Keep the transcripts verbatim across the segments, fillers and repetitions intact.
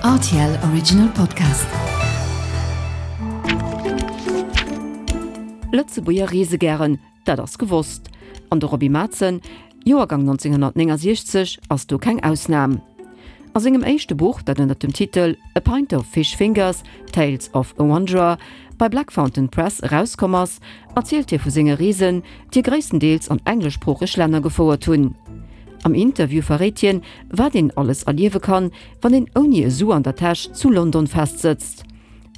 R T L Original Podcast. Lëtzebuerger reese gären, dat ass gewosst. An de Roby Matzen, Joergang nonzénghonnertnéngasiechzeg, ass do keng Ausnam. A sengem éischte Buch, dat ënner dem Titel A Pint of Fish Fingers, Tales of a Wanderer bei Black Fountain Press erauskomm ass, erzielt hie vu senge Reesen, déi gréisstendeels an engleschsproocheg Länner gefouert hunn. Am Interview verréit hien, wat een alles erliewe kann, wann een ouni e Su an der Täsch zu London festsëtzt,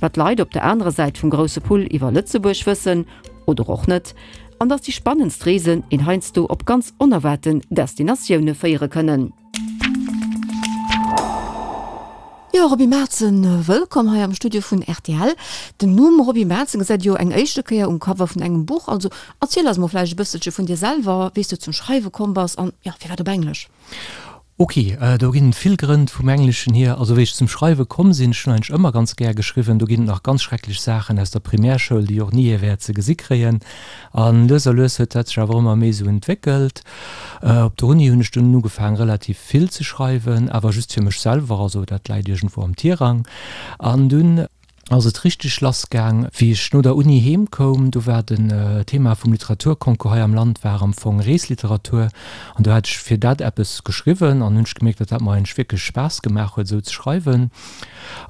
wat d'Leit op der anerer Säit vum grousse Pull iwwer Lëtzebuerg wëssen, oder och net, an dass déi spannendst Reesen een heiansdo op ganz onerwaarten Destinatioune féiere kënnen. Jo, Roby Matzen, wëllkomm hei am Studio vun R T L. Den Numm Roby Matzen gesäit jo eng éischte Kéier um Cover vun engem Buch. Also erziel eis mol vläicht e bësselche vun dir selwer, wéi s du zum Schreiwe komm bass an, jo, firwat op Englesch? Ok, do ginn et vill Grënn vum Engleschen hier. Also wéi ech zum Schreiwe komm sinn, ech hunn eigentlech ëmmer ganz gär geschriwwen, do ginn et nach ganz schrecklech Saachen aus der Primärschoul, déi och ni ee wäert ze gesi kréien. An lues a lues huet dat sech awer ëmmer méi esou entwéckelt. Op der Uni hunn ech dunn ugefaang relativ vill ze schreiwen, awer just fir mech selwer, also dat läit iergendwou am Tirang. An dunn ass et richteg lass gaang, wéi ech no der Uni heem koum. Do war den Thema vum Literaturconcours hei am Land war am Fong Reesliteratur an do hat ech fir dat eppes geschriwwen an hunn ech gemierkt, datt dat mer eigentlech wierklech Spaass gemaach huet, esou ze schreiwen.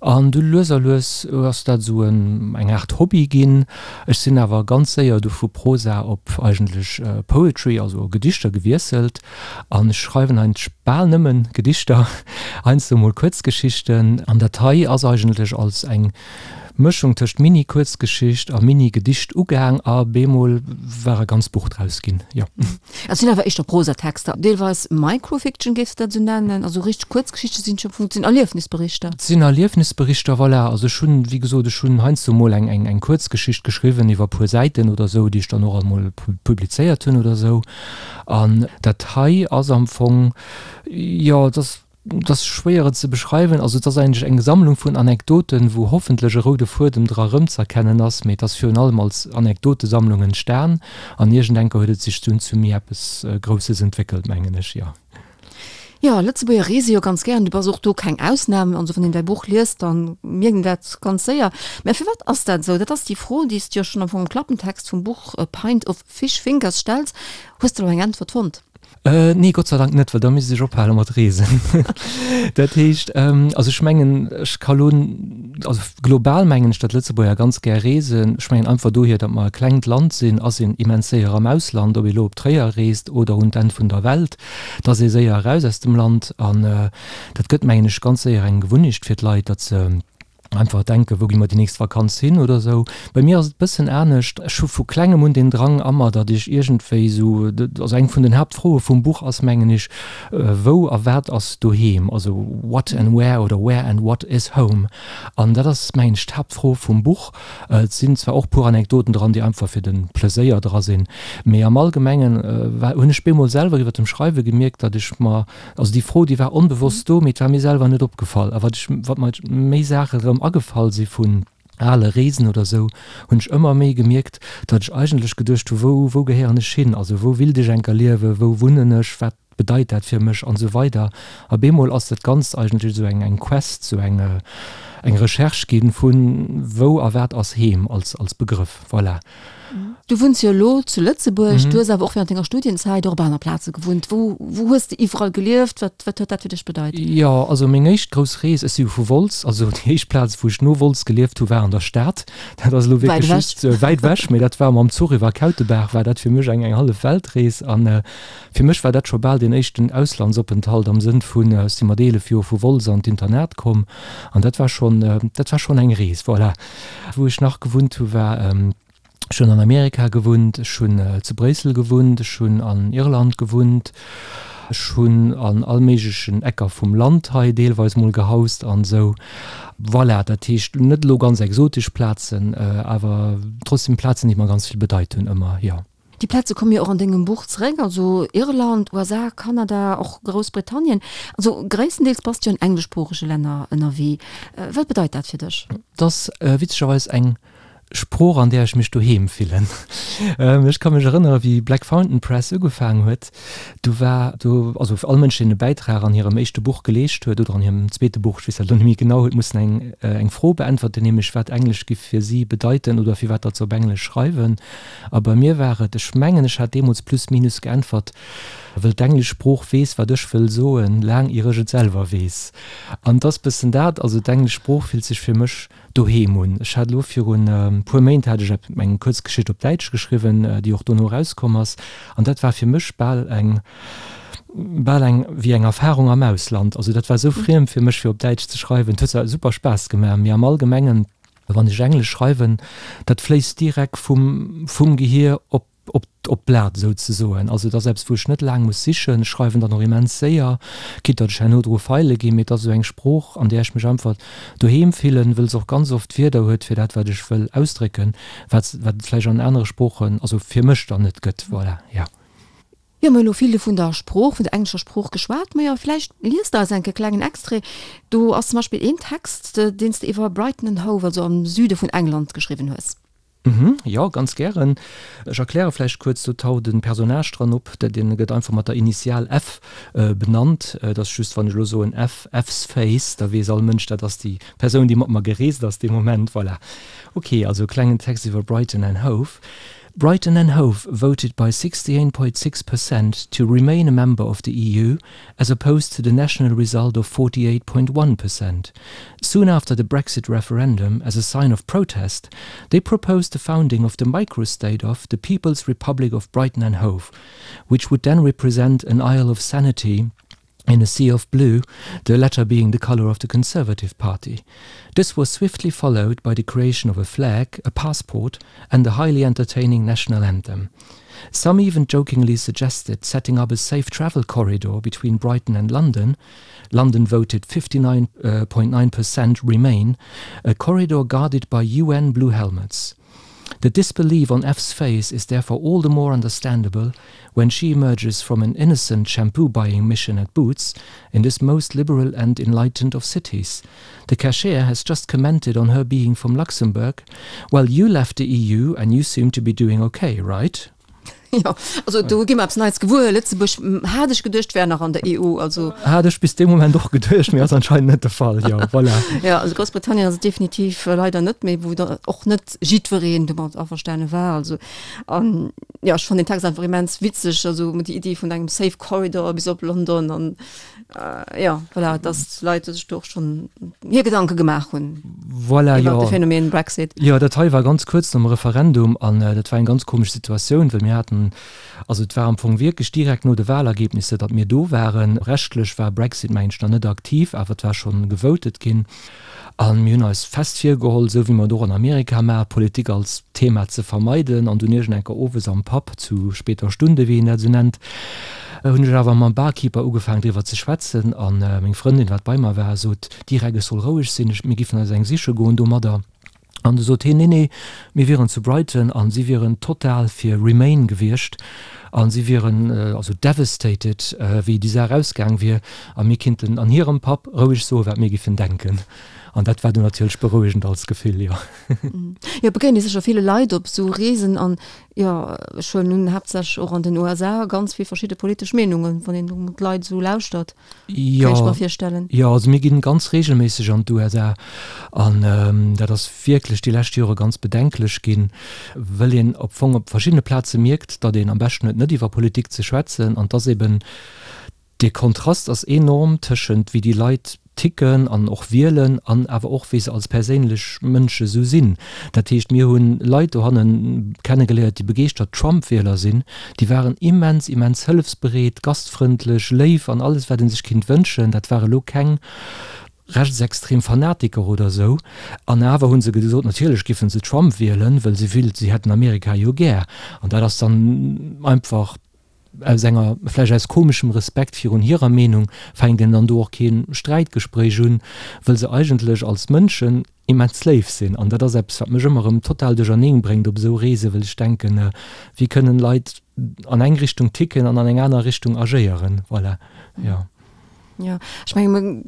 An du lues a lues ass dat esou eng Aart Hobby ginn. Ech sinn awer ganz séier du vu Prosa op eigentlech Poetry, also Gedichter gewiesselt an ech schreiwen eigentlech bal nëmmen Gedichter, heiansdo mol Kuerzgeschichten. An dat hei ass eigentlech als eng Mëschung tëscht Mini-Kuerzgeschicht a Mini-Gedicht ugaang a bemol war e ganzt Buch draus ginn, jo. Et sinn awer éischter Prosatexter, deelweis Microfiction, géifs de dat esou nennen? Also richteg Kuerzgeschichte sinn et jo am Fong, et sinn Erliefnisberichter. Et sinn Erliefnisberichter, voilà. Also ech hunn, wéi gesot, ech hunn heiansdo mol eng, eng, eng Kuerzgeschicht geschriwwen iwwer e puer Säiten oder esou, déi ech dann och emol publizéiert hunn oder esou. An dat hei ass am Fong, jo, et ass, et ass schwéier et ze beschreiwen. Also et ass eigentlech eng Sammlung vun Anekdoten, wou hoffentlech e roude Fuedem dra erëmz'erkennen ass, mee et ass virun allem als Anekdotesammlung entstan an iergendenker huet et sech dunn zu méi eppes Grousses entwéckelt, mengen ech, jo. Jo, Lëtzebuerger reese jo ganz gären, du bass och do keng Ausnam. Also wann een däi Buch liest, da mierkt een dat ganz séier. Mä firwat ass dat esou? Dat ass déi Fro, déi s du jo schonn am Fong am Klappentext vum Buch A Pint of Fish Fingers stells. Hues de elo eng Äntwert fonnt? Nee, Gott sei Dank net, well da misst ech ophale mat reesen. Dat heescht, also ech mengen, ech ka lo, also global mengen ech, datt Lëtzebuerger ganz gär reesen. Ech mengen einfach dohier, datt mer e klengt Land sinn, ass een immens séier am Ausland, ob ee lo op Tréier reest oder un d'Enn vun der Welt, et ass ee séier eraus aus dem Land. An dat gëtt, mengen ech, ganz séier eng Gewunnecht fir d'Leit, datt se einfach denken, wou gi mer déi nächst Vakanz hin oder esou. Bei mir ass et e bëssen anescht. Ech hu vu klengem un den Drang a mer, datt ech iergendwéi esou, also eng vun den Haaptfroe vum Buch ass, mengen ech, wou a wat ass doheem? Also what and where oder where and what is home? An dat ass, mengen ech, d'Haaptfro vum Buch. Et sinn zwar och puer Anekdoten dran, déi einfach fir de Pleséier dra sinn, mee am Allgemengen hunn ech bemol selwer iwwer dem Schreiwe gemierkt, datt ech mer, also déi Fro, déi war onbewosst do, mee et war mir selwer net opgefall. A wat ech, wat mer méi Saache rëm agefall si vun ale Reesen oder esou, hunn ech ëmmer méi gemierkt, datt ech eigentlech geduecht hu, wou, wou gehéieren ech hin? Also wou willt ech enker liewen, wou wunnen ech, wat bedeit dat fir mech an esou weider. A bemol ass dat Ganzt eigentlech esou eng, eng Quest, esou eng, eng Recherche ginn vun wou a wat ass Heem als, als Begrëff. Voilà. Du wunns jo elo zu Lëtzebuerg, du hues awer och während denger Studienzäit och op aner Plaze gewunnt. Wou, wou hues de iwwerall gelieft? Wat, wat huet dat fir dech bedeit? Jo, also meng éischt grouss Rees, ech si jo vu Wolz, also déi éischt Plaz wou ech no Wolz gelieft hu war an der Stad. Dat ass elo wierklech just wäit ewech, mee dat war mam Zuch iwwer Kautebaach war dat fir mech eng eng hallef Weltrees. An fir mech war dat scho bal deen éischten Auslandsopenthalt am Sënn vun, ech si mat eelef Joer vu Wolz an d'Internat komm an dat war schonn, dat war schonn eng Rees, voilà. Wou ech nach gewunnt hu war, ech hunn an Amerika gewunnt, ech hunn zu Bréissel gewunnt, ech hunn an Irland gewunnt, ech hunn an all méiglechen Ecker vum Land hei deelweis mol gehaust an esou. Voilà, dat heescht net elo ganz exotesch Plazen, awer trotzdem Plazen, déi mer ganz vill bedeit hunn ëmmer, jo. Déi Plaze komme jo och an dengem Buch zeréck, also Irland, U S A, Kanada, och Groussbritannien. Also gréisstendeels bass de jo an engleschsproochege Länner ënnerwee. Wat bedeit dat fir dech? Et ass witzegerweis eng Sprooch an där ech mech doheem fillen. Ech ka mech erënnere wéi Black Fountain Press ugefaangen huet, do war do, also all Mënsch deen e Bäitrag an hirem éischte Buch geleescht huet oder an hirem zweete Buch, ech weess dat elo net méi genau, huet mussen eng eng Fro beäntwerten, nämlech wat Englesch giff fir si bedeiten oder firwat datt se op Englesch schreiwen. A bei mir war et, ech mengen ech hat deemools plus minus geäntwert, wëll d'englesch Sprooch weess wat ech wëll soen, laang ier ech et selwer weess. An 't ass bëssen dat, also d'englesch Sprooch fillt sech fir mech doheem un. Ech hat elo virun e puer Méint hat ech eng Kuerzgeschicht op Däitsch geschriwwen, déi och dono erauskomm ass, an dat war fir mech bal eng, bal eng wéi eng Erfahrung am Ausland. Also dat war esou friem fir mech fir op Däitsch ze schreiwen. Et huet zwar super Spaass gemaach, mee am Allgemengen, wann ech Englesch schreiwen, dat fléisst direkt vum, vum Gehier op op op d'Blat souzesoen. Also et ass eppes, wou ech net laang muss sichen. Ech schreiwen dann och immens séier, quitte datt ech herno dru feile ginn, mee et ass esou eng Sprooch, an där ech mech einfach doheem fillen, wëll se och ganz oft Wierder huet fir dat, wat ech wëll ausdrécken, wat wat et vläicht an anere Sproochen, also fir mech dann net gëtt. Voilà, jo. Jo, mir hunn elo vill vun der Sprooch, vun der englescher Sprooch geschwat. Majo, vläicht liest der eis enke klengen Extrait. Do ass zum Beispill een Text, deen s de iwwer Brighton and Hove, also am Süde vun England, geschriwwen hues. Mhm, jo, ganz gären. Ech erkläre vläicht kuerz, do taucht e Personnage dran op, dee gëtt einfach mat der Initial F benannt. Et ass just, wann ech elo soen F, F's face, da weess all Mënsch, dat ass déi Persoun, déi mat mer gereest ass dee Moment. Voilà. Ok, also e klengen Text iwwer Brighton and Hove. Brighton and Hove voted by sixty eight point six percent to remain a member of the E U, as opposed to the national result of forty eight point one percent. Soon after the Brexit referendum, as a sign of protest, they proposed the founding of the microstate of the People's Republic of Brighton and Hove, which would then represent an Isle of Sanity in a sea of blue, the latter being the color of the Conservative Party. This was swiftly followed by the creation of a flag, a passport and a highly entertaining national anthem. Some even jokingly suggested setting up a safe travel corridor between Brighton and London. London voted fifty nine point nine percent remain, a corridor guarded by U N blue helmets. The disbelief on F's face is therefore all the more understandable when she emerges from an innocent shampoo-buying mission at Boots in this most liberal and enlightened of cities. The cashier has just commented on her being from Luxembourg. Well, you left the E U and you seem to be doing okay, right? Jo, also do gi mer eppes Neits gewuer. Lëtzebuerg, hat ech geduecht, wär nach an der E U. Also Hat ech bis dee Moment och geduecht, mee ass anscheinend net de Fall. Jo, voilà. Jo, also Groussbritannien ass et definitiv leider net méi, wou da och net jiddwereen domat averstane war. Also, an jo, ech fannen den Text einfach immens witzeg, also déi Iddi vun engem safe corridor bis op London an jo, voilà, dass d'Leit sech do och schonn hir Gedanke gemaach hunn Voilà, iwwer jo. de Phänomen Brexit. Jo, dat hei war ganz kuerz nom Referendum an dat war eng ganz komesch Situatioun, well mir haten, also et war am Fong wierklech direkt no de Wahlergebnisse, datt mir do waren. Rechtlech war Brexit, mengen ech, nach net aktiv, awer et war schonn gevotet ginn. A mir hunn eis fest virgeholl, esou wéi mer et och an Amerika maachen, Politik als Thema ze vermeiden. An dunn iergend enker owes am Pub, zu später Stunde, wéi een dat esou nennt, hunn ech awer mam Barkeeper ugefaangen driwwer ze schwätzen. A meng Frëndin, wat bei mer war, sot direkt, ech soll roueg sinn, ech, mir giffen eis eng siche goen domadder. An du sot hien, nee, nee, mir wieren zu Brighton an si wieren total fir Remain gewiescht an si wieren also devastated, wéi déi Saach ausgaang wier a mir kinnten an hirem Pub roueg soen, wat mir giffen denken. An dat war du natierlech berouegend als Gefill, jo. Jo, begéint ee sécher ville Leit op esou Reesen an, jo, ech huelen un, haaptsächlech och an den U S A, ganz vill verschidde politesch Meenungen, wann een do d'Leit esou lauschtert, kéint ech mer virstellen. Jo, also mir ginn ganz reegelméisseg an d'U S A an dat ass wierklech déi lescht Jore ganz bedenklech ginn, wëll een op Fong op verschiddene Plaze mierkt, datt een am beschten huet, net iwwer Politik ze schwätzen an dass eben dee Kontrast ass enorm tëschent wéi déi Leit ticken an och wielen an awer och wéi se als perséinlech Mënsche sou sinn. Dat heescht, mir hunn Leit dohanne kennegeléiert, déi begeeschtert Trump-Wieler sinn, déi waren immens, immens hëllefsbereet, gastfrëndlech, léif an alles wat ee sech kinnt wënschen. Dat ware lo keng rechtsextrem Fanatiker oder sou. An awer hu se gesot, natierlech giffen se Trump wielen, wëll se wühlt, si hätten Amerika jo gär. An dat ass dann einfach aus enger, vläicht aus komeschem Respekt virun hirer Meenung, fänkt een dann do och kee Sträitgespréich un, wëll se eigentlech als Mënschen immens léif sinn. An dat ass eppes, wat mech ëmmer erëm total duercherneen bréngt op esou Reesen, wëll ech denken, wéi kënnen Leit an eng Richtung ticken an an eng aner Richtung agéieren. Voilà, jo. Jo, ech menge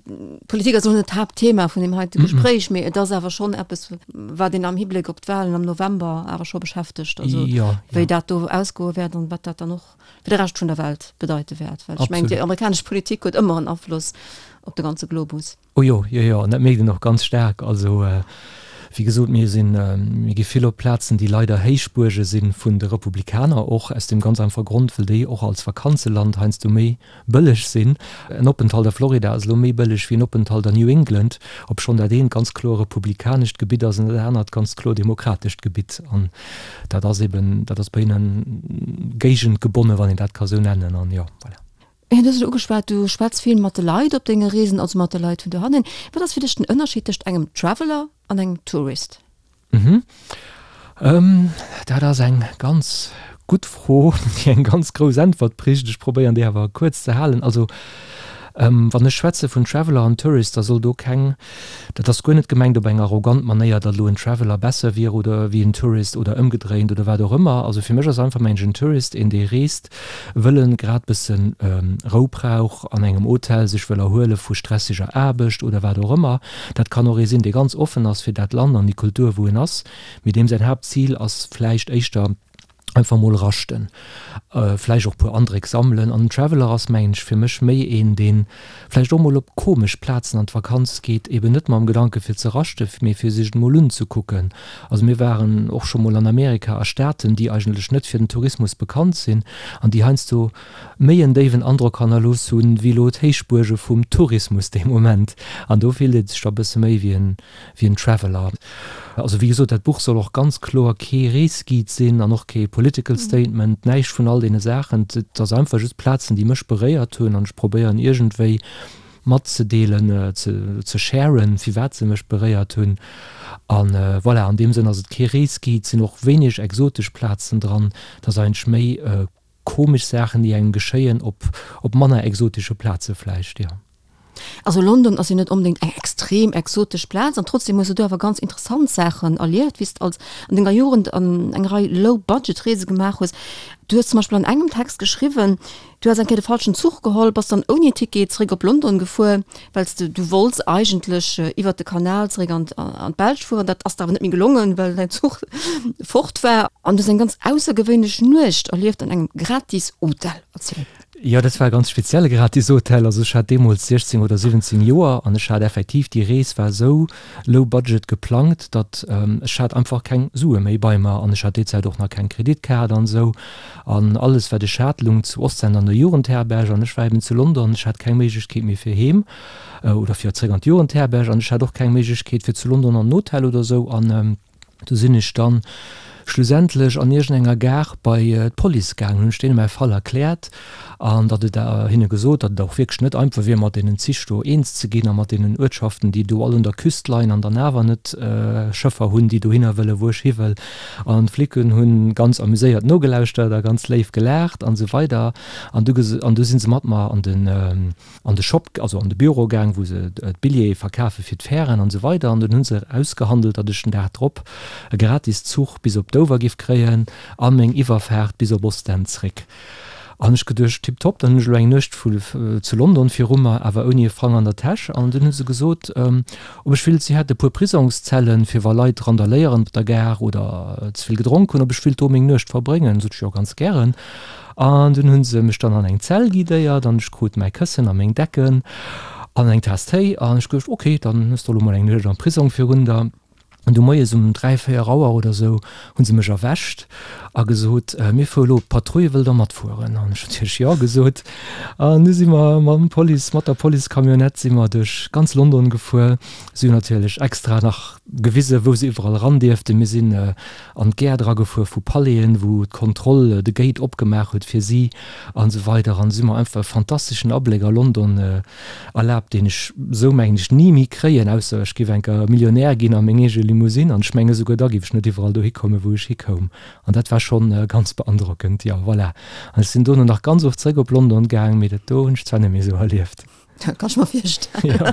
Politik ass och net d'Haaptthema vun deem heite Gespréich, mee et ass awer schonn eppes, wat een am Hibléck op d'Wahlen am November awer scho beschäftegt, also wéi dat do ausgoe wäert an wat dat dann och fir de Rescht vun der Welt bedeite wäert. Well ech mengen, déi amerikanesch Politik huet ëmmer en Afloss op de ganze Globus. Oh jo, jo, jo, an dat mierkt een och ganz staark. Also wéi gesot, mir sinn, mir gi vill op Plazen, déi leider Héichbuerge si vun de Republikaner, och aus deem ganz einfache Grond, well déi och als Vakanzeland heiansdo méi bëlleg sinn. En Openthalt a Florida ass elo méi bëlleg wéi en Openthalt an New England, obschonn dat eent ganz kloer republikanescht Gebitt ass an dat anert ganz kloer demokratescht Gebitt. An dat ass eben, dat ass bei hinnen géigendgebonnen, wann een dat ka sou nennen. An jo, voilà. Du hues et ugeschwat, du schwätz vill mat de Leit op denge Reesen, also mat de Leit vun dohannen. Wat ass fir dech den Ënnerscheed tëscht engem Traveler an engem Tourist? Mhm. Dat ass eng ganz gutt Fro, déi eng ganz grouss Äntwert brécht. Ech probéieren déi awer kuerz ze halen. Also wann ech schwätze vun Traveler an Tourist, da soll do keng, dat ass guer net gemengt op eng arrogant Manéier, datt elo en Traveler besser wier oder wéi en Tourist oder ëmgedréint oder wat och ëmmer. Also fir mech ass einfach mengen en Tourist een, dee reest, wëll en grad bëssen Rou brauch an engem Hotel, sech wëll erhuele vu stressiger Aarbecht oder wat och ëmmer. Dat kann och ee sinn, dee ganz offen ass fir dat Land an déi Kultur wou en ass, mee deem säin Haaptzil ass vläicht éischter einfach mol raschten, vläicht och puer Andréck sammelen. An en Traveler ass, mengen ech, fir mech méi een, dee vläicht och mol op komesch Plazen an d'Vakanz geet, eben net mam Gedanke fir ze raschten, mee fir sech et mol unzekucken. Also mir waren och scho mol an Amerika a Staaten, déi eigentlech net fir den Tourismus bekannt sinn an déi heiansdo méi en déiwen Androck hannerlooss hunn, wéi elo d'Héichbuerge vum Tourismus dee Moment. An do fillt ee sech da bësse méi wéi en, wéi en Traveler. Also wéi gesot, dat Buch soll och ganz kloer kee Reesguide sinn an och kee political statement, näischt vun all deene Saachen. Et ass einfach just Plazen, déi mech beréiert hunn an ech probéieren iergendwéi matzedeelen, ze ze sharen, firwat se mech beréiert hunn. An voilà, an deem Sënn ass et kee Reesguide, et sinn och wéineg exotesch Plazen dran, et ass eigentlech méi komesch Saachen, déi engem geschéien op op manner exotesche Plaze vläicht, jo. Also London ass jo net onbedéngt eng extrem exotesch Plaz an trotzdem hues du do awer ganz interessant Saachen erlieft, wéi s de als an denger Jugend an eng Rei Low-Budget-Reese gemaach hues. Du hues zum Beispill an engem Text geschriwwen, du häss eng Kéier de falschen Zuch geholl, bass dann ouni Ticket zeréck op London gefuer, well s de, du wollts eigentlech iwwert de Kanal zeréck an an d'Belsch fueren. Dat ass der awer net méi gelongen, well däin Zuch fort war. An du hues eng ganz aussergewéinlech Nuecht erlieft an engem gratis Hotel. Erziel. Jo, dat war e ganz spezielle Gratishotel. Also ech hat deemools siechzéng oder siwwenzéng Joer an ech hat effektiv, déi Rees war esou low budget geplangt, datt ech hat einfach keng Sue méi bei mer an ech hat déi Zäit och nach keng Kreditkaart an esou. An alles wat ech hat lung zu Ostend an der Jugendherberg an ech war eben zu London. Ech hat keng Méiglechkeet méi fir heem oder fir zréck an d'Jugendherberg an ech hat och keng Méiglechkeet fir zu London an en Hotel oder esou. An du sinn ech dann schlussendlech an iergendenger Gare bei d'Police gaangen, hunn ech deene mäi Fall erkläert an datt et hinne gesot, datt et och wierklech net einfach wier, mat deenen Zich do eens ze ginn a mat deenen Uertschaften, déi do all un der Küst leien an dann awer net Schëffer hunn, déi dohinner wëllen, wou ech hi wëll. An d'Flicken hu ganz amuséiert nogelauschtert a ganz léif gelaacht an esou weider. An du an du si se mat mer an den an de Shop, also an de Büro gaang, wou se d'Billjeeë verkafe fir d'Fären an esou weider. An dunn hu se ausgehandelt, datt ech den Dag drop e gratis Zuch bis op Dover giff kréien a meng Iwwerfaart bis op Ostend zréck. An ech geduecht, tiptop, dann hunn ech elo eng Nuecht vu zu London viru mer, awer ouni e Frang an der Täsch. An dunn hu se gesot, ob ech willt, si hätte e puer Prisongszellen, fir wa Leit randaléieren op der Gare oder ze vill gedronk hunn, ob ech willt do meng Nuecht verbréngen. Sot ech, jo, ganz gären. An dunn hu se mech dann an eng Zell guidéiert an ech krut mäi Këssen a meng Decken an eng Taass Téi. An ech geduecht, ok, dann hues de elo mol eng Nuecht am Prisong virun der. An du moies um dräi, véier Auer oder esou hu se mech erwächt a gesot, Mir fuere lo op d'Patrouille, wëllt Der matfueren? An ech natierlech Jo gesot. An du si mer mam Police, mat der Police-Camionnette si mer duerch ganz London gefuer. Si hunn natierlech extra nach gewisen, wou se iwwerall eran dierften. Mir sinn an d'Gäert eragefuer vu Palaisen, wou d'Kontroll de Gate opgemaach huet fir si an esou weider. An si hu mer einfach e fantasteschen Abléck a London erlaabt, deen ech esou, mengen ech, ni méi kréien, ausser ech géif enker Millionär ginn a meng eege Limousine, an ech menge souguer da géif ech net iwwerall dohi kommen, wou ech hikoum. An dat war schonn ganz beandrockend, jo, voilà. An ech sinn dono nach ganz oft zréck op London gaang, mee dat do hunn ech zwar net méi esou erlieft. Dat kann ech mer virstellen. Jo.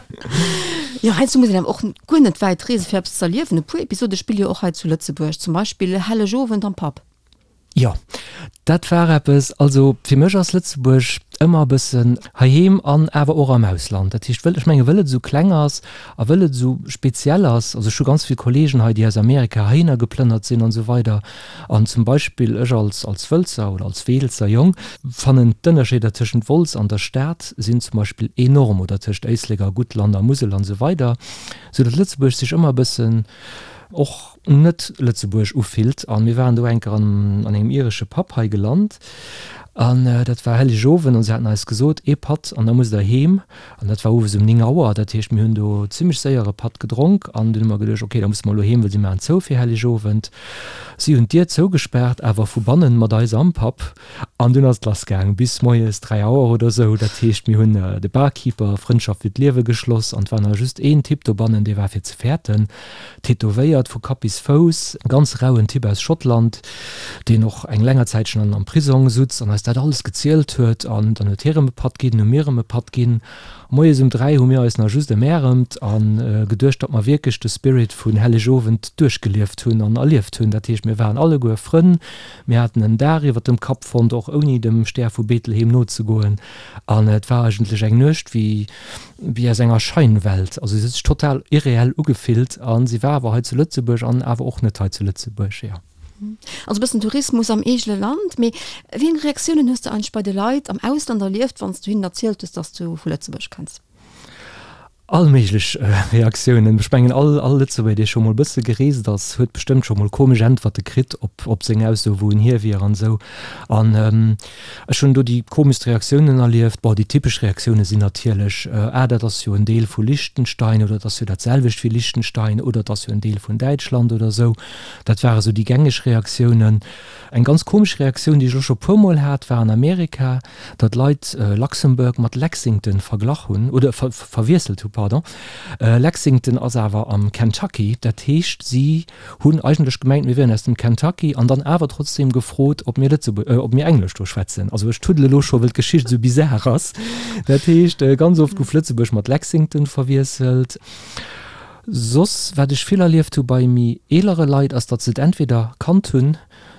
Jo, heiansdo muss een awer och guer net wäit reesen, fir eppes z'erliewen. E puer Episode spille jo och hei zu Lëtzebuerg, zum Beispill Hellegowend am Pub. Jo, dat war eppes, also fir mech ass Lëtzebuerg ëmmer e bëssen heiheem an awer och am Ausland. Dat heescht, wëll, ech menge wëll et esou kleng ass a wëll et esou speziell ass, also ech hu ganz vill Kollegen hei, déi aus Amerika heihinner geplënnert sinn an esou weider an zum Beispill ech als als Wëlzer oder als Weelzer Jong fannen d'Ënnerscheeder tëschent Wolz an der Stad sinn zum Beispill enorm oder tëscht Éislek a Guttland a Musel an esou weider, sou datt Lëtzebuerg sech ëmmer e bëssen och net Lëtzebuerg ufillt. An mir waren do enker an an engem iresche Pub hei gelant an dat war Hellegowend an se haten eis gesot, ee Patt an da musst der heem. An dat war owes um néng Auer, dat heescht mir hunn do zimmlech séier e Patt gedronk an dunn hu mer geduecht, ok, da musse mer elo heem, well si maachen zou fir Hellegowend. Si hunn d'Dier zougespaart, awer vu bannen mat eis am Pub. An dunn ass et lass gaang bis moies dräi Auer oder sou. Dat heescht mir hunn de Barkeeper Frëndschaft fir d'Liewe geschloss an et war nach just een Typ dobannen, dee war fir ze fäerten. Tätowéiert vu Kapp bis Fouss, ganz rauen Typ aus Schottland, deen och eng länger Zäitchen an am Prisong sutz an eis dat alles gezielt huet. An dann huet hie rëm e Patt ginn, hu mir rëm e Patt ginn. Moies um dräi hu mir eis nach just emäermt a geduecht, datt mer wierklech de Spirit vun Hellegowend duerchgelieft hunn an erlieft hunn. Dat heescht, mir waren alleguer Frënn, mir haten en Daach iwwer dem Kapp fonnt, och ouni dem Stär vu Betlehem nozegoen. An et war eigentlech eng Nuecht wéi wéi aus enger Scheinwelt. Also se huet sech total irreell ugefillt a si war awer hei zu Lëtzebuerg an awer och net hei zu Lëtzebuerg, jo. Also e bëssen Tourismus am eegene Land. Mee wéi eng Reaktiounen hues de eigentlech bei de Leit am Ausland erlieft, wann s du hinnen erzielt hues, dass du vu Lëtzebuerg kënns? All méiglech Reaktiounen. Ech mengen, all all Lëtzebuerger, dee scho mol e bësse gereest ass, huet bestëmmt scho mol komesch Äntwerte kritt op op seng Ausso, wou en hier wier an esou. An ech hunn do déi komeschst Reaktiounen erlieft. Bon, déi typesch Reaktioune sinn natierlech, Ah, dat ass jo en Deel vu Liechtenstein oder dat ass jo dat selwecht wéi Liechtenstein oder et ass jo en Deel vun Däitschland oder esou. Dat ware sou déi gängeg Reaktiounen. Eng ganz komesch Reaktioun, déi ech elo scho puermol hat, war an Amerika, datt Leit Luxembourg mat Lexington verglach hunn, oder verwiesselt hu, pardon. Lexington ass awer am Kentucky, dat heescht, si hunn eigentlech gemengt, mir wieren aus dem Kentucky an dann awer trotzdeem gefrot, ob mir Lëtzebu-, ob mir Englesch do schwätzen. Also ech tuddele elo scho, wëll d'Geschicht esou bizar ass. Dat heescht, ganz oft gouf Lëtzebuerg mat Lexington verwiesselt. Soss, wat ech vill erlieft hu bei méi eelere Leit, ass, datt se et entweder kannt hunn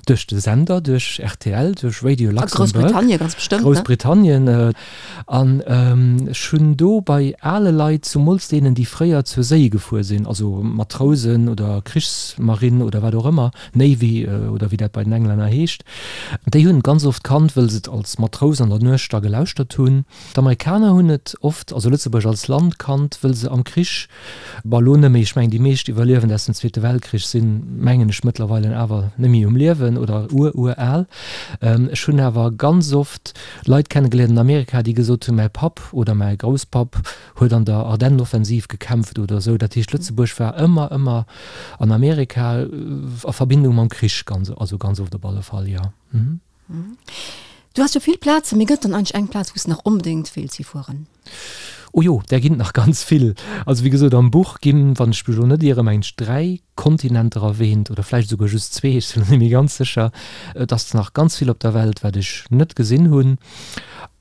duerch de Sender, duerch rtl, duerch Radio A Luxembourg, Groussbritannien ganz bestëmmt, ne? Groussbritannien. An ech hunn do bei ale Leit, zumools deenen, déi fréier zur Séi gefuer sinn, also Matrousen oder Krichsmarinn oder wat och ëmmer, Navy oder wéi dat bei den Englänner heescht, déi hunn et ganz oft kannt, wëll se et als Matrous an der Nuecht da gelauschtert hunn. D'Amerikaner hunn et oft, also Lëtzebuerg als Land kannt, wëll se am Krich, Bon, elo net méi, ech mengen déi meescht Iwwerliewend aus dem Zweete Weltkrich sinn, mengen ech, mëttlerweilen awer net méi um Liewen oder ur-ur-al. Ech hunn awer ganz oft Leit kennegeléiert an Amerika, déi gesot hunn, mäi Papp oder mäi Grousspapp huet an der Ardennenoffensiv gekämpft oder esou. Dat heescht, Lëtzebuerg war ëmmer, ëmmer an Amerika a Verbindung mam Krich, ganz, also ganz oft op alle Fall, jo. Du has jo vill Plazen, mee gëtt dann eigentlech eng Plaz, wou s de nach onbedéngt wéilts hifueren? Oh jo, där ginn et nach ganz vill. Also wéi gesot, am Buch ginn, wann ech mech elo net ieren, mengen ech dräi Kontinenter erwähnt oder vläicht esouguer just zwee, ech sinn elo net méi ganz sécher. Et ass nach ganz vill op der Welt, wat ech net gesinn hunn.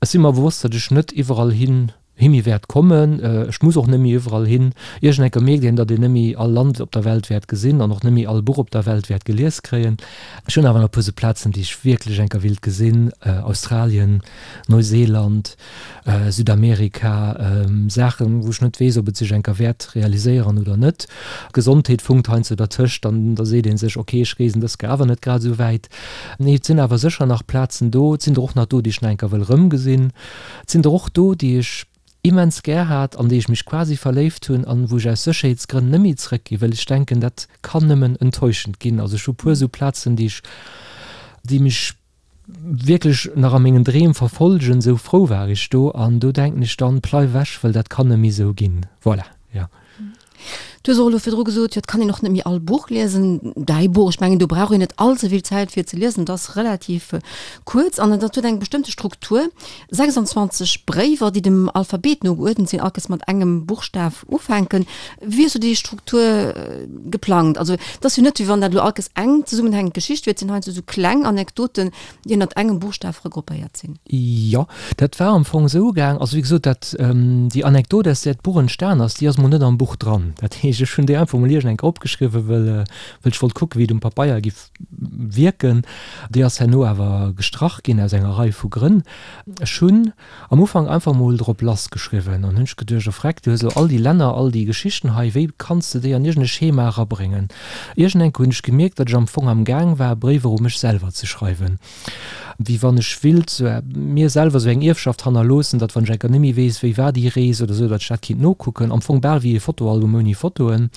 Ech si mer bewosst, datt ech net iwwerall hin Himi wäert kommen. Ech muss och net méi iwwerall hin. Iergendenker mierkt een, datt een net méi all Land op der Welt wäert gesinn an och net méi all Buch op der Welt wäert gelies kréien. Ech hunn awer nach e puer sou Plazen, déi ech wierklech enker willt gesinn, Australien, Neuseeland, Südamerika, Saachen, wou ech net weess, ob et sech enker wäert realiséieren oder net. D'Gesondheet funkt heiansdo dertëscht an da seet ee sech, ok, ech reesen dës Kéier awer net grad esou wäit. Nee, et sinn awer sécher nach Plazen do. Et sinn der och nach do, déi ech nach enker wëll erëmgesinn. Et sinn der och do, déi ech immens gär hat, an déi ech mech quasi verléift hunn an wou ech aus Sécherheetsgrënn net méi zrëckgi wëll ech denken, dat kann nëmmen enttäuschend ginn. Also ech hu puer esou Plazen, déi ech, déi mech wierklech nach a mengen Dreem verfolgen, esou frou war ech do an do denken ech dann, Pleif ewech, wëll dat kann net méi esou ginn. Voilà, jo. Du hues och elo virdru gesot, jo et kann een och net méi all Buch liesen. Däi Buch, ech mengen do brauch een net all ze vill Zäit fir ze liesen, et ass relativ kuerz an et huet eng bestëmmte Struktur, sechsundzwanzeg Bréiwer, déi dem Alphabet no geuerdent sinn, all Kéiers mat engem Buchstaf ufänken. Wéi hues du déi Struktur geplangt? Also et ass jo net, wéi wann dat elo all Kéiers eng zesummenhängend Geschicht wier, et sinn heiansdo esou kleng Anekdoten, déi ënnert engem Buchstaf regruppéiert sinn. Jo, dat war am Fong esou gaang, also wéi gesot, dat déi Anekdot, aus där d'Buch entstan ass, déi ass mol net am Buch dran. Dat heescht, heescht, ech hunn déi einfach mol iergend eng Kéier opgeschriwwen, well well ech wollt kucken, wéi et um Pabeier giff wierken. Déi ass herno awer gestrach ginn aus enger Rei vu Grënn. Ech hunn am Ufank einfach mol drop lass geschriwwen an hunn ech geduecht, oh freck, du hues elo all déi Länner, all déi Geschichten hei, wéi kanns de déi an iergend e Schema erabréngen? Iergend eng Kéier hunn ech gemierkt, datt ech am Fong am Gaang war, Bréiwer u mech selwer ze schreiwen, wéi wann ech willt sou mir selwer sou eng Ierfschaft hannerloossen, datt wann ech eng Kéier net méi weess, wéi war déi Rees oder sou, datt ech dat kinnt nokucken, am Fong bal wéi e Fotoalbum ouni Fotoen.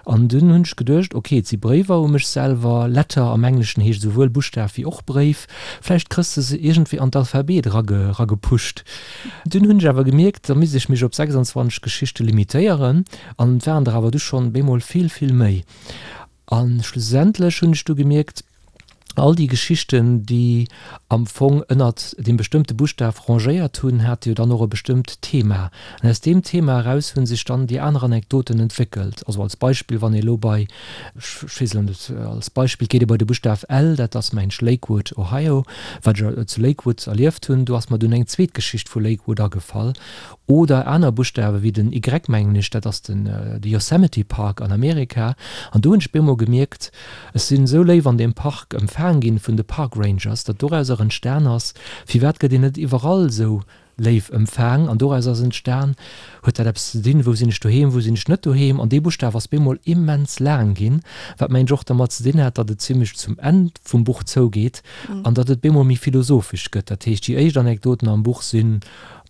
An dunn hunn ech geduecht, ok, et si Bréiwer u mech selwer, Letter am Engleschen heescht esouwuel Buschtaf wéi och Bréif, vläicht krëss de se iergendwéi an d'Alphabet eragepusht. Dunn hunn ech awer gemierkt, da misst ech mech op sechsundzwanzeg Geschichte limitéieren, an et waren der awer du schonn bemol vill, vill méi. A schlussendlech hunn ech du gemierkt, all déi Geschichten, déi am Fong ënnert deem bestëmmte Buschtaf rangéiert hunn, hate jo dann och e bestëmmt Thema. An aus deem Thema eraus hu sech dann déi aner Anekdoten entwéckelt. Also als Beispill, wann ee elo bei, ech weess elo net, als Beispill geet ee bei de Buschtaf L, dat ass mengen ech Lakewood, Ohio, wat ech zu Lakewood erlieft hunn, do ass mer dunn eng zweet Geschicht vu Lakewood agefall. Oder aner Buschtawe wéi den Y, mengen ech, dat ass den de Yosemite Park an Amerika. An do hunn ech bemol gemierkt, ech sinn esou léif an deem Park empfaang ginn vun de Park Rangers, datt dorauser entstan ass, firwat gëtt een net iwwerall esou léif empfaang? An doraus ass entstan, huet dat eppes ze dinn, wou sinn ech doheem, wou sinn ech net doheem? An dee Buschtaf ass bemol immens laang ginn, wat mengen ech och dermat ze dinn hat, datt et zimlech zum Enn vum Buch zougeet an datt et bemol méi philosophesch gëtt. Dat heescht, déi éischt Anekdoten am Buch sinn,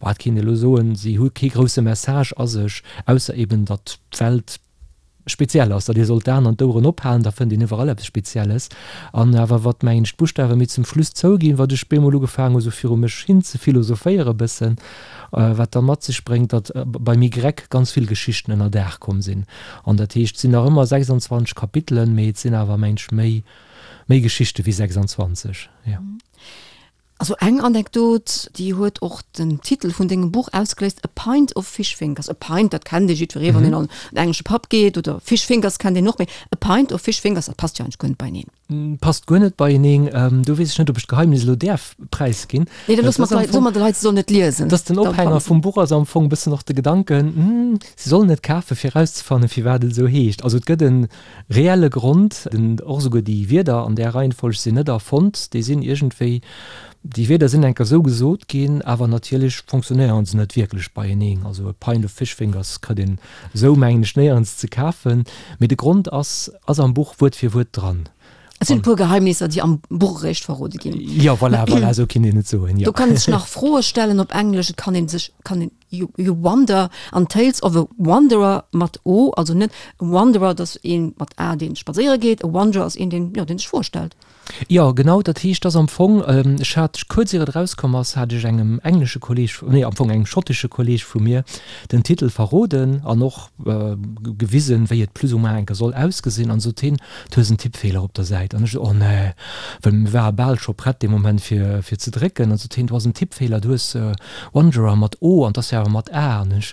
Bah, et kéint ee elo soen, si hu kee grousse Message a sech, ausser eben, datt d'Welt speziell ass, datt ee sollt d'Aen an d'Oueren ophalen, da fënnt een iwwerall eppes Spezielles. An awer wat, mengen ech, d'Buschtawe méi zum Schluss zouginn, wat ech bemol ugefaangen hu sou viru mech hin ze philosophéiere bëssen, wat da mat sech bréngt, datt beim Y ganz vill Geschichten ënner Daach komm sinn. An dat heescht, et sinn nach ëmmer sechsundzwanzeg Kapitelen, mee et sinn awer, mengen ech, méi, méi Geschichte wéi sechsundzwanzeg, jo. Also eng Anekdot, déi huet och den Titel vun dengem Buch ausgeléist, A Pint of Fish Fingers. A pint, dat kennt ee jiddweree, wann een an en englesche Pub geet, oder Fish Fingers kennt een och, mee a pint of fish fingers, dat passt jo eigentlech guer net beieneen. Passt guer net beieneen. Do weess ech net, ob ech d'Geheimnis elo däerf präisginn. Nee, da loosse mer d'Leit, soe mer de Leit, se sollen et liesen. Dass den Ophänger vum Buch ass am Fong e bëssen och de Gedanken, hm, se sollen et kafen, fir erauszefannen, firwat et esou heescht. Also et gëtt e reelle Grond, den, och esouguer déi Wierder an där Reihenfolg sinn net erfonnt, déi sinn iergendwéi, déi Wierder sinn eng Kéier esou gesot ginn, awer natierlech fonctionnéieren se net wierklech beieneen. Also e pint of fish fingers kritt een esou, mengen ech, néierens ze kafen, mee de Grond ass, ass am Buch Wuert fir Wuert dran. Et sinn e puer Geheimnisser, déi am Buch eréischt verrode ginn. Jo, voilà, voilà, esou kinnt een et soen, jo. Do kann een sech nach Froe stellen op Englesch, et kann een sech, kann een, you, you wonder, an Tales of a Wanderer mat O, also net e Wanderer, dat ass een mat A, dee spadséiere geet, e Wanderer ass een, deen, jo, deen sech Froe stellt. Jo, genau, dat heescht, dass am Fong, ech hat kuerz ier et erauskomm ass, hat ech engem englesche Kolleg, nee, am Fong engem schottesche Kolleg vu mir den Titel verroden an och gewisen, wéi et plus ou moins enke soll ausgesinn. An sot hien, Du hues en Tippfeeler op der Säit. An ech esou, Oh nee, well mir ware bal scho prett dee Moment fir, fir ze drécken. An sot hien, Du ass en Tippfeeler, du hues Wanderer mat O an 't ass jo awer mat A. An ech,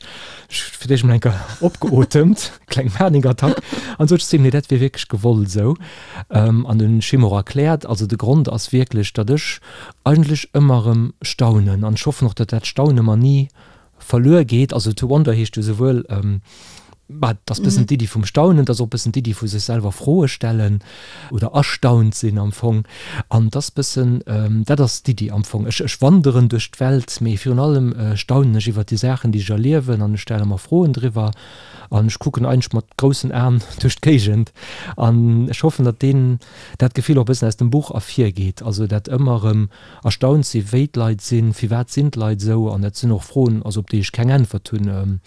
ech fir d'éischt emol enker opgeotemt, kleng Panikattack, an sot ech zu him, Nee, dat wier wierklech gewollt esou. An hunn ech him och erkläert, also de Grond ass wierklech, datt ech eigentlech ëmmer erëm staunen an ech hoffen och, datt dat Staune mer ni verluer geet. Also to wonder heescht jo souwuel, bah, et ass bëssen d'Iddi vum Staunen, et ass och bëssen d'Iddi vu sech selwer Froe stellen oder erstaunt sinn am Fong. An et ass bëssen, dat ass d'Iddi am Fong. Ech, ech wanderen duerch d'Welt, mee virun allem staunen ech iwwert déi Saachen, déi ech erliewen an ech stelle mer Froen driwwer. An ech kucken eigentlech mat groussen Aen duerch d'Géigend. An ech hoffen, datt deen, dat Gefill och e bëssen aus dem Buch ervirgeet. Also dat ëmmer erëm erstaunt si wéi d'Leit sinn, firwat sinn d'Leit esou. An dat sinn och Froen, also op déi ech keng Äntwert hunn.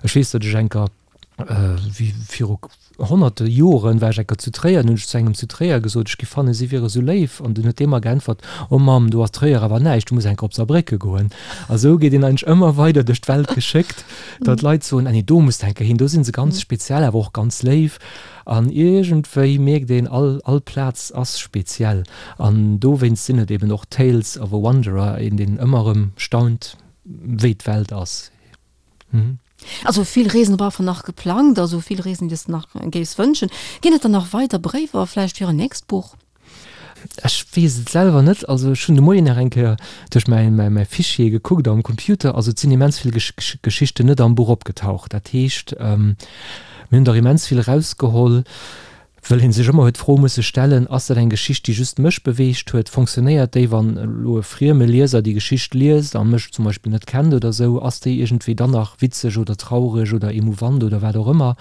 Ech weess, datt ech eng Kéier, wéi viru honnerte Joren, war ech eng Kéier zu Tréier, an hunn ech zu engem zu Tréier gesot, ech géif fannen, si wiere sou léif. An dunn huet dee mer geäntwert, Oh Mamm, do ass Tréier awer näischt, du muss eng Kéier op Saarbrécke goen. A sou geet een eigentlech ëmmer weider duerch d'Welt geschéckt, datt d'Leit soen, Ah nee, do muss de eng Kéier hin, do si se ganz speziell, awer och ganz léif. An iergendwéi mierkt een, all, all Plaz ass speziell. An dowéinst sinn et eben och Tales of a Wanderer, een, deen ëmmer erëm staunt, wéi d'Welt ass. Also vill Reesen op alle Fall nach geplangt, also vill Reesen, déi s de nach géifs wënschen. Ginn et dann nach weider Bréiwer vläicht fir en nächst Buch? Ech weess et selwer net. Also ech hunn de Moien nach eng Kéier duerch mäi, mäi, mäi Fichier gekuckt am Computer. Also et sinn immens vill Geschichten net am Buch opgetaucht. Dat heescht, Mir hunn der immens vill erausgeholl, wëll ee sech ëmmer huet d'Fro musse stellen, Ass dat eng Geschicht, déi just mech beweegt huet? Fonctionnéiert déi, wann elo e frieme Lieser déi Geschicht liest a mech zum Beispill net kennt oder esou? Ass déi iergendwéi dann nach witzeg oder traureg oder emouvant oder wat och ëmmer?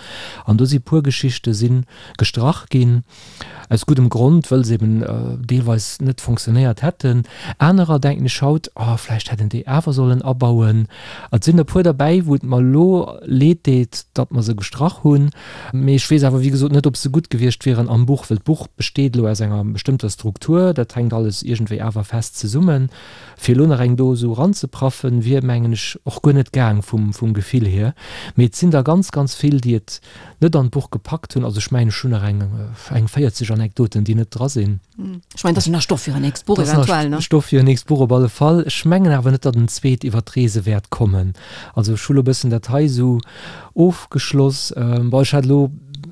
An do si puer Geschichte si gestrach ginn. Aus guddem Grond, wëll se eben deelweis net fonctionnéiert hätten. Anerer denken ech haut, oh, vläicht hätt een déi awer sollen abauen. Et sinn e puer derbäi, wou et mer elo leed deet, datt mer se gestrach hunn. Mee ech weess awer, wéi gesot, net, ob se gutt gewiescht wieren am Buch, wëll d'Buch besteet elo aus enger bestëmmter Struktur, dat hänkt alles iergendwéi awer fest zesummen. Fir elo nach eng do esou eranzepraffen, wier, mengen ech, och guer net gaang vum, vum Gefill hier. Mee et sinn der ganz, ganz vill, déi et net an d'Buch gepackt hunn. Also ech mengen, ech hunn nach eng, eng véierzeg Anekdoten, déi net dra sinn. Ech mengen, dat ass jo nach Stoff fir en nächst Buch eventuell, ne? Stoff fir en nächst Buch op alle Fall. Ech mengen awer net, datt en zweet iwwer d'Reese wäert kommen. Also ech hu lo e bëssen dat hei esou ofgeschloss. Bon, ech hat elo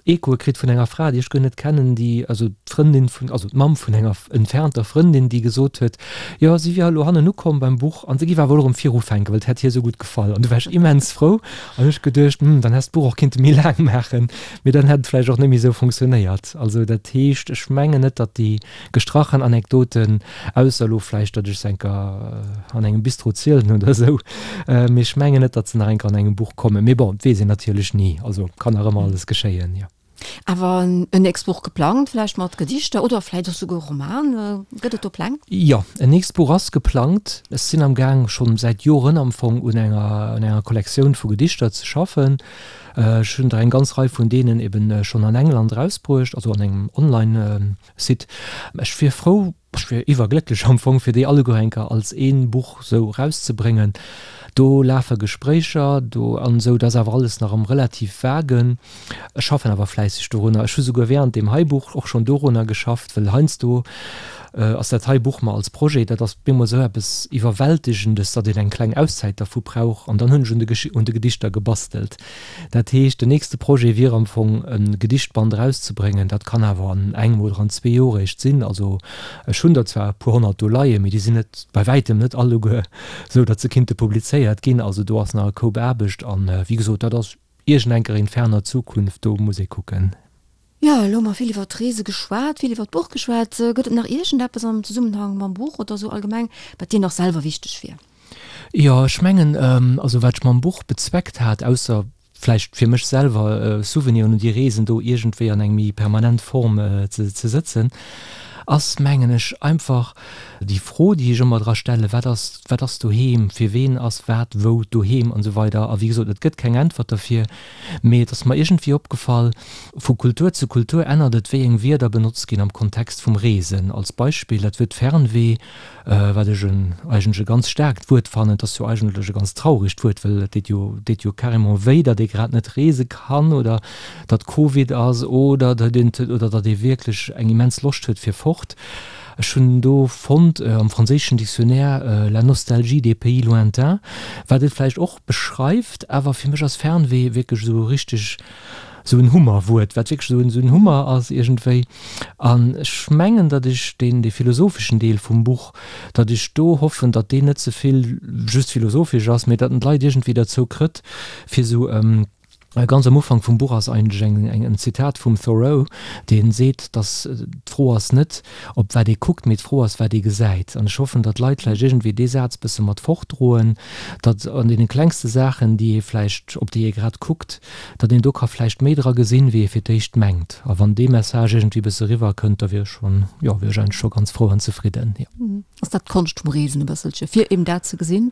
Echoe kritt vun enger Fra, déi ech guer net kennen, déi, also d'Frëndin vun, also d'Mamm vun enger entfernter Frëndin, déi gesot huet, jo, si wier elo hannen ukomm beim Buch an se géif awer elo erëm virufänken, well et hätt hir esou gutt gefall. An du war ech immens frou an hunn ech geduecht, hm, dann häss d'Buch och kinnte méi laang maachen, mee dann hätt et vläicht och net méi esou funktionéiert. Also dat heescht, ech mengen net, datt déi gestrachen Anekdoten, ausser elo vläicht, datt ech se enker an engem Bistro zielen oder esou, mee ech mengen net, datt se nach enker an engem Buch kommen. Mee bon, et weess een natierlech ni, also kann nach ëmmer alles geschéien, jo. Awer en nächst Buch geplangt, vläicht mat Gedichter oder vläicht och souguer e Roman? Gëtt et do Pläng? Jo, en nächst Buch ass geplangt. Ech sinn am Gaang, schonn säit Joren am Fong, un enger un enger Kollektioun vu Gedichter ze schaffen. Ech hunn der eng ganz Rei vun deenen eben schonn an England erausbruecht, also an engem Online-Site. Ech wier frou, ech wier iwwerglécklech am Fong, fir déi alleguer eng Kéier als ee Buch sou erauszebréngen. Do lafe Gespréicher do an esou, dat ass awer alles nach am relativ Vagen. Ech schaffen awer fläisseg dorunner. Ech hu souguer während deem hei Buch och schonn dorunner geschafft, well heiansdo ass dat hei Buch mer als Projet, dat ass bemol esou eppes Iwwerwältigendes, datt een eng kleng Auszäit dervu brauch. An dann hunn ech un de un de Gedichter gebastelt. Dat heescht, den nächste Projet wier am Fong e Gedichtband erauszebréngen. Dat kann awer an engem oder an zwee Joer eréischt sinn. Also ech hunn der zwar e puer honnert do leien, mee déi sinn net, bei wäitem net alleguer esou, datt se kinnte publizéiert ginn. Also do ass nach e Koup Aarbecht. An wéi gesot, dat ass iergendenker in ferner Zukunft, do muss ee kucken. Jo, elo hu mer vill iwwer d'Reese geschwat, vill iwwer d'Buch geschwat. Gëtt et nach iergendeppes am Zesummenhang mam Buch oder esou allgemeng, wat dir nach selwer wichteg wier? Jo, ech mengen, also wat ech mam Buch bezweckt hat, ausser vläicht fir mech selwer Souveniren un déi Reesen do iergendwéi an eng méi permanent Form ze sëtzen, ass, mengen ech, einfach déi Fro, déi ech ëmmer dra stellen, Wat ass, wat ass doheem? Fir ween ass wat wou doheem? An esou weider. A wéi gesot, et gëtt keng Äntwert derfir, mee et ass mer iergendwéi opgefall, vu Kultur zu Kultur ännert et, wéi eng Wierder benotzt ginn am Kontext vum Reesen. Als Beispill dat Wuert Fernweh, wat ech en eigentlech e ganz staarkt Wuert fannen, et ass jo eigentlech e ganz trauregt Wuert, well et deet jo, deet jo carrément wéi, datt ee grad net reese kann oder datt Covid ass oder datt een, oder datt ee wierklech eng immens Loscht huet fir fort. Ech hunn do fonnt am franséischen Dictionnaire la nostalgie des pays lointains, wat et vläicht och beschreift, awer fir mech ass Fernweh wierklech esou richteg esou en Hummerwuert, wat wierklech esou en Hummer ass iergendwéi. An ech mengen, datt ech deen, dee philosopheschen Deel vum Buch, datt ech do hoffen, datt deen net ze vill just philosophesch ass, mee datt en d'Leit iergendwéi derzou krëtt, fir esou, ganz am Ufank vum Buch ass eigentlech eng, eng, en Zitat vum Thoreau, dee seet, datt d'Fro ass net, op wat ee kuckt, mee d'Fro ass, wat ee gesäit. An ech hoffen, datt d'Leit vläicht iergendwéi dee Saz bësse mat fortdroen, datt an deene klengste Saachen, déi ee vläicht, op déi ee grad kuckt, datt een do ka vläicht méi dra gesinn, wéi ee fir d'éischt mengt. A wann dee Message iergendwéi bësse eriwwer kënnt, da wier ech schonn, jo, wier ech eigentlech scho ganz frou an zefridden, jo. Ass dat d'Konscht vum Reesen e bësselche, fir eben dat ze gesinn,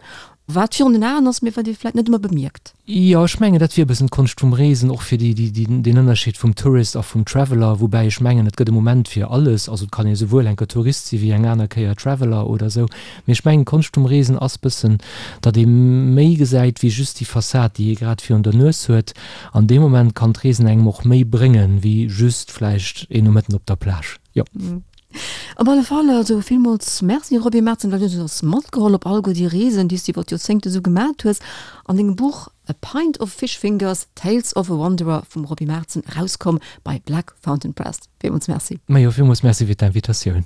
wat virun den Aen ass, mee wat ee vläicht net ëmmer bemierkt? Jo, ech mengen, dat wier e bëssen d'Konscht vum Reesen, och fir déi, déi, deen Ënnerscheed vum Tourist a vum Traveler, woubäi ech mengen, et gëtt e Moment fir alles. Also et kann ee souwuel eng Kéier Tourist si wéi eng aner Kéier Traveler oder esou. Mee ech mengen, d'Konscht vum Reesen ass bëssen, datt ee méi gesäit wéi just déi Fassad, déi ee grad virun der Nues huet. An dee Moment kann d'Reesen engem och méi bréngen, wéi just vläicht een Nomëtten op der Plage. Jo. Op alle Fall also villmools Merci, Roby Merzen, well du hues eis matgeholl op alleguer déi Reesen, déi s du iwwer d'Joerzéngte sou gemat hues. An dengem Buch A Pint of Fish Fingers, Tales of a Wanderer vum Roby Merzen, erauskomm bei Black Fountain Press. Villmools Merci. Majo, villmools Merci fir d'Invitatioun.